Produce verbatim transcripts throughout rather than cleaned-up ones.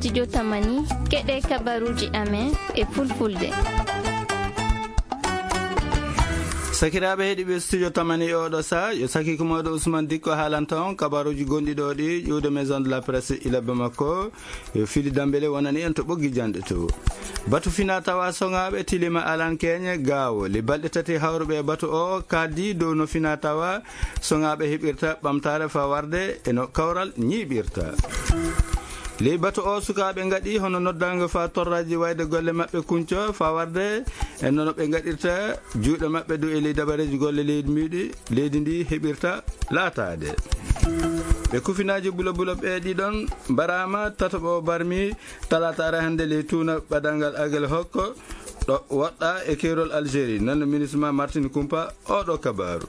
Studio Tamani, keɗe kabaruji amen e fulfulde. Sakiraaɓe heɗiiɓe Studio Tamani e oɗo saa, yo saki kumooɗo Ousmane Dikko haalanta on kabaruji gonɗi ɗo ɗi ƴuwde Maison de la Presse ilabbe makko, yo Fili Dambele wonani en to ɓoggi janɗe to. Batu fina tawa soŋaaɓe tilima alan keeñe gaawo. Le balɗe tati hawruɓe e batu o kaddi dow no fina tawa soŋaaɓe heɓirta ɓamtaare faa warde e no kawral ñiiɓirta. Ley batu o, sukaaɓe ngaɗi hono noddaango faa torraaji wayde golle maɓɓe kunco faa warde e no ɓe ngaɗirta juuɗe maɓɓe dow e ley dabareeji golle leydi mbiɗi, leydi ndi heɓirta laataade. Ɓe kufinaaji bulo bulo ɓe ɗiɗon mbaraama, tataɓo o barmi talaataare hannde ley tuuna ɓadanngal Agel Hokko, ɗo woɗɗa e keerol Algérie, nan no ministre ma Martin Kumpa oɗo kabaaru.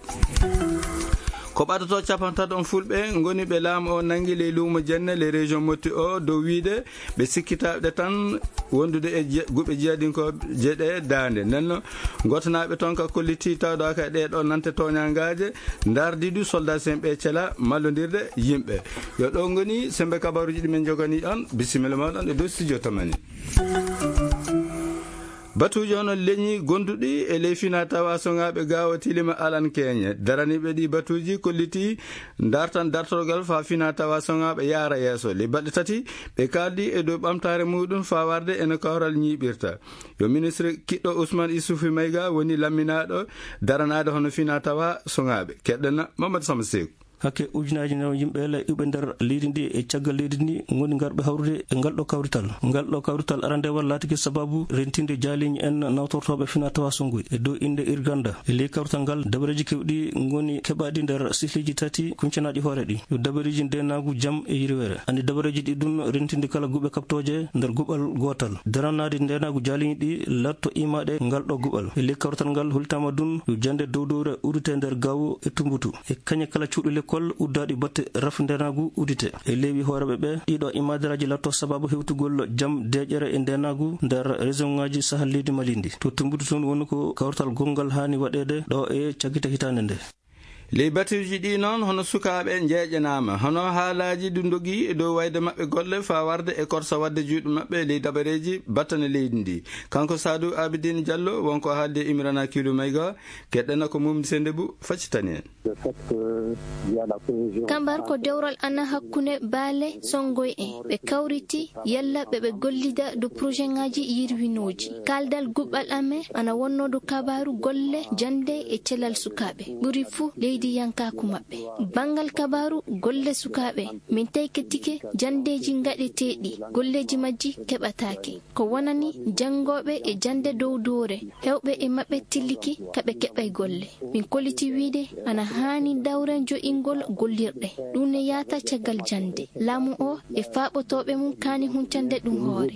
Ko ɓadotoo capantato on fulɓe ngoni ɓe laamu o nanngi ley luumo Jenne, ley région Motti o, dow wiide ɓe sikkitaaɓe tan wondude e je-, guɓe jihadinkooje ɗe daande. Nden no ngotanaaɓe toon ka kolliti tawɗo ka ɗee ɗoo nante tooñangaaje, ndardi du soldat C M P cela mallondirde yimɓe. Yo ɗo ngoni sembe kabaruji ɗi men jogani on. Bisimilla mooɗon e dow studio Tamani. Batuuji hono leñi gonduɗi e ley fina tawa soŋaaɓe gaawo tilima alan keeñe. Daraniiɓe ɗi batuuji kolliti dartan dartorgal faa fina tawa soŋaaɓe yaara yeeso. Ley balɗe tati ɓe kaaldi e dow ɓamtaare muɗum faa warde e no kawral ñiiɓirta. Yo ministre kiɗɗo Ousmane Issoufou Maïga woni lamminaaɗo daranaade hono fina tawa soŋaaɓe. Keɗɗen Mamadou Samba Seeku. Hakke ujunaaji nawa yimɓe le iwɓe nder leydi ndi e caggal leydi ndi ngoni ngarɓe hawrude e ngal ɗo kawrital. Ngal ɗo kawrital arandewal laatike sababu rentinde jaaliiñi en nawtortooɓe fina tawa songuy. E dow innde Irganda, e ley kawrital ngal, dabareeji keewɗi ngoni keɓaaɗi nder sihliiji tati kuncanaaɗi hoore ɗi. Yo dabareeji ndeenaagu, jam e yirweere. Andi dabareeji ɗi ɗum rentinde kala guɓe kaɓtooje nder guɓal gootal. Daranaade ndeenaagu jaaliiñi ɗi latto imaaɗe ngal ɗo guɓal. E ley kawrital ngal hultaama ɗum yo jannde dow dowre udite nder gawo e tumbutu. E kañe kala cuuɗi lekkol uddaaɗi batte rafi ndeenaagu udite. E leewi hooreeɓe ɓe, ɗiɗo imaadaraaji latto sababu hewtugol jam, deeƴere e ndeenaagu nder région ŋaaji Sahel leydi Mali ndi. To Tumbutu toon woni ko kawtal gonngal haani waɗeede ɗo e cakkite hitaande nde. Ley batuuji ɗi noon, hono sukaaɓe njeeƴanaama, hono haalaaji ɗi ndogi e dow wayde maɓɓe golle faa warde e korsa waɗde juuɗe maɓɓe ley dabareeji battane leydi ndi. Kanko Sadou Abidine Diallo, wonko haalde Imrana Kilu Mayga, keɗɗen ko mum sende bu faccitani en. Kambar ko dewral ana hakkunde baale songoy en. Ɓe kawriti yalla ɓe ɓe gollida dow projet ŋaaji yirwinooji. Kaaldal guɓal amen ana wonno dow kabaaru golle jannde e celal sukaaɓe. Ɓuri fuu leydi yankaaku maɓɓe. Banngal kabaaru golle sukaaɓe, min taykitike janndeeji ngaɗeteeɗi, golleeji majji keɓataake. Ko wonani janngooɓe e jannde dow doore, heewɓe e maɓɓe tilliki ka ɓe keɓay golle. Min kolliti wiide ana haani dawre jo'ingol gollirɗe. Ɗum ne yaata caggal jannde. Laamu o e faaɓotooɓe mum kaani huncande ɗum hoore.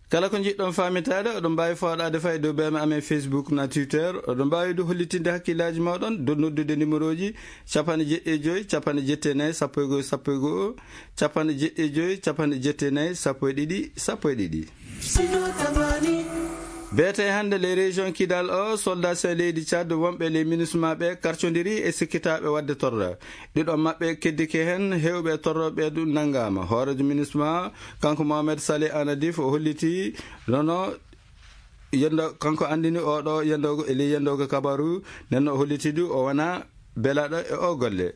Kala ko njiɗɗon faamitaade, oɗon mbaawi fooɗaade fay dow beeme amen Facebook na Twitter. Oɗon mbaawi du hollitinde hakkillaaji mooɗon dow noddude numéroji capanɗe jeɗɗi e joy, capanɗe jetti e nayi, sappo e go'o, sappo e go'o, capanɗe jeɗɗi e joy, capanɗe jetti e nayi, sappo e ɗiɗi, sappo e ɗiɗi. Beete hannde ley région Kidal o, soldat sen leydi Tchad wonɓe ley MINUSMA ɓe karcondiri e sikkitaaɓe waɗde torra. Ɗiɗo maɓɓe keddike heen, heewɓe torrooɓe ɗum nanngaama. Hooreejo MINUSMA, kanko Mohamed Saleh Anadif, o holliti nono yendo, kanko anndini oɗo yendoogo e ley yendoogo kabaru, nden o holliti du o wona belaaɗo e o golle.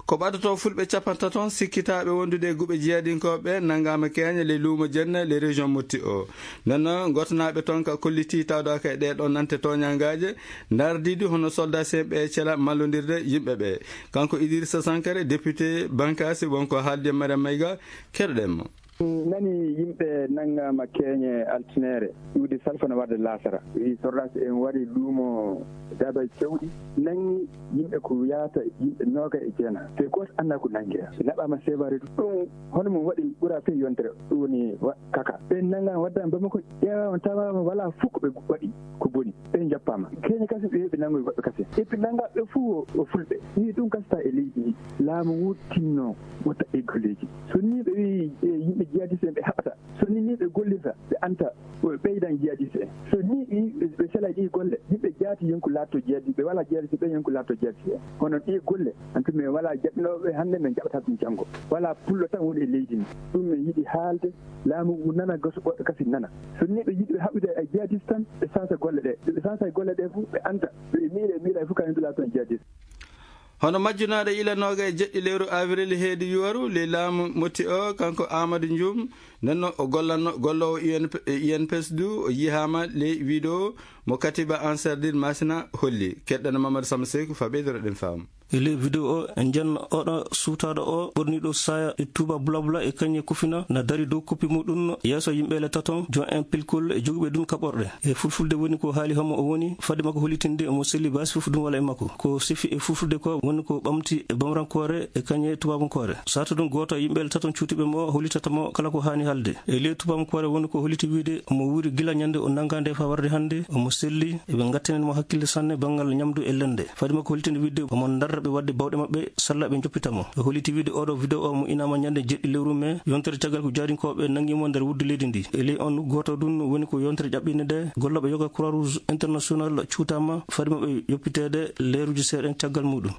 Ko ɓadotoo fulɓe capantato on sikkitaaɓe wondude e guɓe jihadinkooɓe nanngaama keeña ley luumo Jenne, ley région Motti o. Nden noon, ngotanaaɓe toon ka kolliti tawdaaka e ɗee ɗoo nante tooñangaaje, ndardiiɗi hono soldat C M P cela mallondirde yimɓe ɓe. Kanko Idrissa Sankare, député Bankasi, wonko haaldi e Mariam Mayga, keɗoɗen mo. Nani yimɓe nanngaama keeñe altineere, iwde salfana warde laasara. Wi sordaasi en wari luumo Daabay Cewɗi, nanngi yimɓe ko yaata yimɓe nooga e jeena. Te gooto anndaa ko nanngira. Ɓe naɓaama seebaare ɗum. Ɗum hono mum waɗi ɓura fey yontere. Ɗum woni wa-, kaka. Ɓe nanngaama waddaama Bamako, ƴeewaama tawaama walaa fof ko ɓe waɗi ko boni. Ɓe njappaama. Keeñe kasi ɓe Nanngoy goɗɗo kase. Et puis nanngaa ɓe fof o, o fulɓe. Ni ɗum kasta e leydi ndi. Laamu ngu tinno, watta e golleeji. So ni ɓe wi'i, e, yimɓe jihadiste en ɓe haɓata. So ni ni ɓe gollirta, ɓe anta, o ɓeydan jihadiste en. So ni ɓe, ɓe sela ɗi golle, yimɓe jaati yonku laatto jihadiste, ɓe wala jihadiste, ɓe yonku laatto jihadiste en. Kono ɗi golle, en tout, min wala jaɓinooɓe hannde, min jaɓata ɗum janngo. Wala pullo tan woni e leydi ndi. Ɗum min yiɗi haalde, laamu ngu nana, goso goɗɗo kasi nana. So ni ɓe yiɗi ɓe haɓude e jihadiste tan, ɓe sansa golle ɗe. Ɓe sansa golle ɗe fof, ɓe anta, ɓe miila, miila fof kañum dula toon jihadiste. Hono majjunaaɗo ila nooga e jeɗɗi lewru avril heedi yuwaru, ley laamu motti o, kanko Amadou Dioum, nden no o gollanno, golloowo U N P, U N P S du, o yihaama ley vidéo mo Katiba Ansardine Masina holli. Keɗɗana Mamadou Samba Seku fa ɓeydoro ɗen faamu. E ley vidéo o, en njenno oɗo suutaaɗo o, ɓorniiɗo saaya e tuuba bulabula e kañe kufina, na dari dow koppi muɗum yeeso yimɓe le taton, jon en pilkol e jogiiɓe ɗum kaɓorɗe. E fulfulde woni ko haali homo o woni, fade makko hollitinde mo selli baasi fof ɗum wala e makko. Ko sifi e fulfulde ko woni ko ɓamti e bamrankoore e kañe tubabankoore. Sato ɗum gooto e yimɓe le taton cuutiiɓe mo hollitata mo kala ko haani haalde. E ley tubabankoore woni ko holliti wiide mo wuuri gila ñande o nanngaa nde faa warde hannde, omo selli, eɓe ngattinen mo hakkille sanne banngal ñamdu e lende. Fadi makko hollitinde wiide omo darra ɓe waɗde bawɗe maɓɓe, salla ɓe njoppita mo. O holliti wiide oɗo vidéo o mo inaama ñande jeɗɗi lewru mee, yontere caggal ko jaarinkooɓe nanngi mo nder wuddu leydi ndi. E ley on gooto ɗum woni ko yontere ƴaɓɓinde nde, gollooɓe yoga Croix Rouge International cuutaama, fadi maɓɓe yoppiteede leeruuji seeɗa caggal muɗum.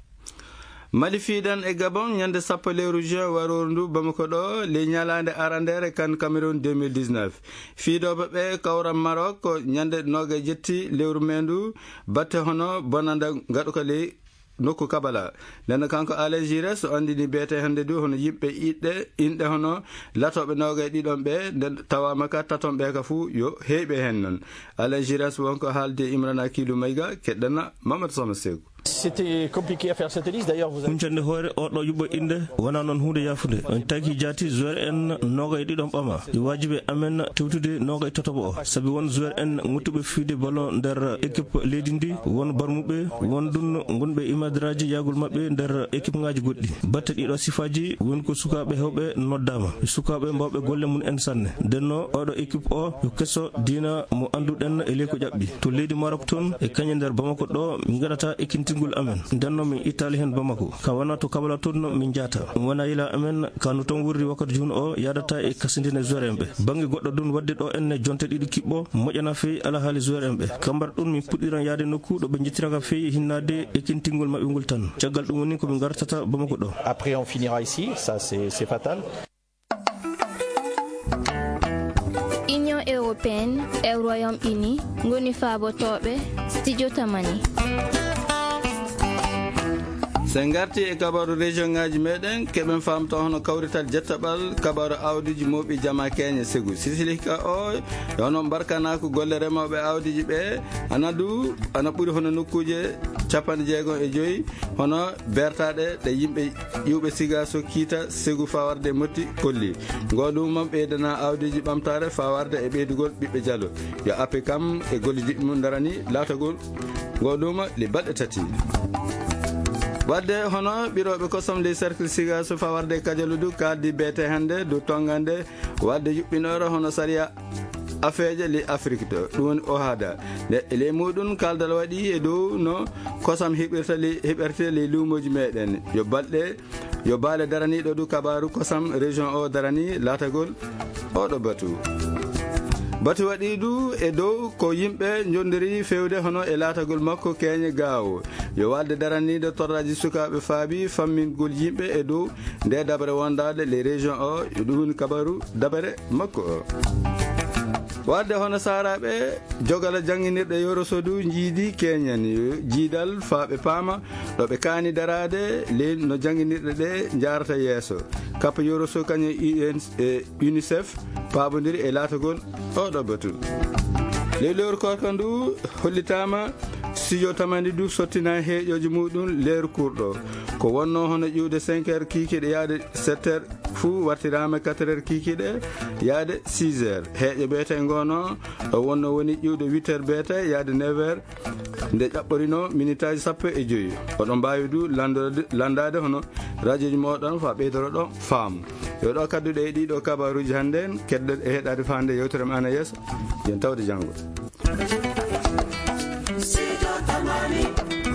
Mali fiidan e Gabon ñande sappo lewru juin warooru ndu Bamako ɗo, ley ñalaande arandeere kan Cameroun deux mille dix-neuf. Fiidooɓe ɓe kawran Maroc ko ñande nooga e jetti lewru mee ndu, batte hono bonanda ngaɗuka ley nokku Kabala. Nden kanko Alain Giresse o anndini beete hannde du hono yimɓe iɗɗe, inɗe hono latooɓe nooga e ɗiɗon ɓe, nden tawaama ka taton ɓe ka fuu yo heeɓe heen non. Alain Giresse wonko haalde Imrana Kiilu Mayga, keɗɗana Mamadou Sama Seeku. C'était compliqué à faire cette liste. D'ailleurs, vous avez Huncande hoore oɗo yuɓɓo innde wona noon huunde yaafunde. On tagi jaati joueur en nooga e ɗiɗon ɓama. E waajibi amen tewtude nooga e tatoɓo o. Sabi won joueur en ŋuttuɓe fiide ballon nder équipe leydi ndi, won barmuɓe, won ɗum gonɓe imadraji yahgol maɓɓe nder équipe ngaji goɗɗi. Batte ɗiɗo sifaaji woni ko sukaaɓe hewɓe noddaama. Sukaaɓe mbawɓe golle mum en sanne. Ndenno oɗo équipe o yo keso diina mo annduɗen e ley ko ƴaɓɓi. To leydi Maroc toon e kañe nder Bamako ɗo min ngaɗata ekkintingol amen. Ndenno min ittaali heen Bamako. Ka wona to Kabala toon min njahata. Ɗum wona yila amen ka no toon wurri wakkati jooni o yaadata e kasindine joueur en ɓe. Bannge goɗɗo ɗum waɗde ɗo enne jonte ɗiɗi kiɓɓo moƴƴana feewi alahaali joueur en ɓe. Kambar ɗum min puɗɗiran yaade nokku ɗo ɓe njettiraka feewi hinnaade ekkintingol maɓɓe ngol tan. Caggal ɗum woni ko min ngartata Bamako ɗo. Après, on finira ici, ça c'est, c'est fatal. Union européenne e Royaume-Uni ngoni faabotooɓe studio Tamani. So en ngarti e kabaru région ngaji meɗen, keɓen faamto hono kawrital jettaɓal kabaru awdiji mooɓi jama Kenya Segu. Sisilika o, e hono mbarkanaku golle remooɓe awdiji ɓe, ana du, ana ɓuri hono nokkuje capanɗe jeegom e joyi, hono bertaɗe ɗe yimɓe iwɓe siga so kiita Segu fawarde motti kolli. Ngo ɗum ɓeydana awdiji ɓamtare fawarde e ɓeydugol ɓiɓɓe jalo. Yo appe kam e gollidi mum darani laatagol ngo ɗum le balɗe tati. Wadde hono ɓirooɓe kosam ley cercle siga so fawarde kajaludu kaldi beete hannde dow tongande wadde yuɓɓinoore hono sariya afeeje ley Afrik to, ɗum woni OHADA. Nde e ley muɗum kaldal waɗi e dow no kosam heɓirta ley, heɓirte ley luumooji meɗen. Yo balɗe, yo baale daraniiɗo du kabaru kosam région o darani laatagol oɗo batu. Batu waɗi du e dow ko yimɓe njondiri fewde hono e laatagol makko keñe gaawo. Yo walde daraniiɗo torraji sukaaɓe faabi fammingol yimɓe e dow nde dabare wondaade les régions o, yo ɗum woni kabaru dabare makko o. Wadde hono saaraaɓe jogala jannginirɗe Yoroso du njiidi keñen yo jiidal faa ɓe paama ɗo ɓe kaani daraade ley no jannginirɗe ɗe njaarata yeeso. Kappa Yoroso kañum e U N, e UNICEF paabondiri e laatagol oɗo batu. Ley lewru korka ndu hollitaama studio Tamani du sottina heeƴooji muɗum leeru kurɗo. Ko wonno hono ƴuwde cinq heures kiikiiɗe yaade sept heures fuu wartiraama quatre heures kiikiiɗe yaade six heures. Heeƴo beete ngono ɗo wonno woni ƴuwde huit heures beete yaade neuf heures nde ƴaɓɓorino minitaaji sappo e joyi. Oɗon mbaawi du lanndorde, lanndaade hono rajooji mooɗon faa ɓeydoro ɗo faamu. Yo ɗo kadduɗe e ɗiɗo kabaruuji hannde en, keddoɗe e heɗaade faa nde yewtere men ana yeeso. Yen tawde janngo. Mami,